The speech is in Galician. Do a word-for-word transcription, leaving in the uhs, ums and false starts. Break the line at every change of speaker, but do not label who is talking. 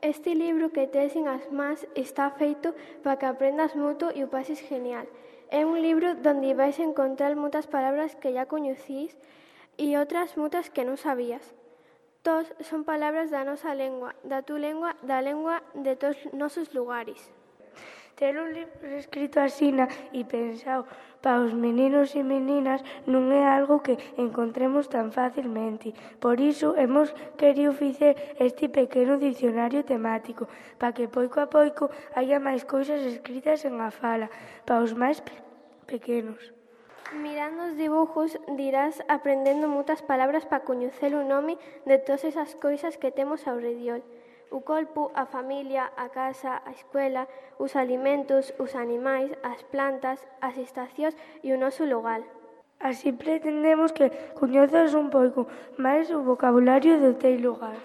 Este libro que tes en as mans está feito para que aprendas moito e o pases genial. É un libro donde vais encontrar moitas palabras que ya coñecís e outras moitas que non sabías. Todos son palabras da nosa lengua, da tu lengua, da lengua de todos nosos lugares.
Ter un libro escrito asina e pensado para os meninos e meninas non é algo que encontremos tan facilmente. Por iso hemos querido facer este pequeno dicionario temático para que poico a poico haya máis cousas escritas en a fala para os máis pequenos.
Mirando os dibujos dirás aprendendo moitas palabras para coñecer o nome de todas esas cousas que temos ao redor. O corpo, a familia, a casa, a escuela, os alimentos, os animais, as plantas, as estacións e o noso lugar.
Así pretendemos que coñezas un pouco máis o vocabulario do teu lugar.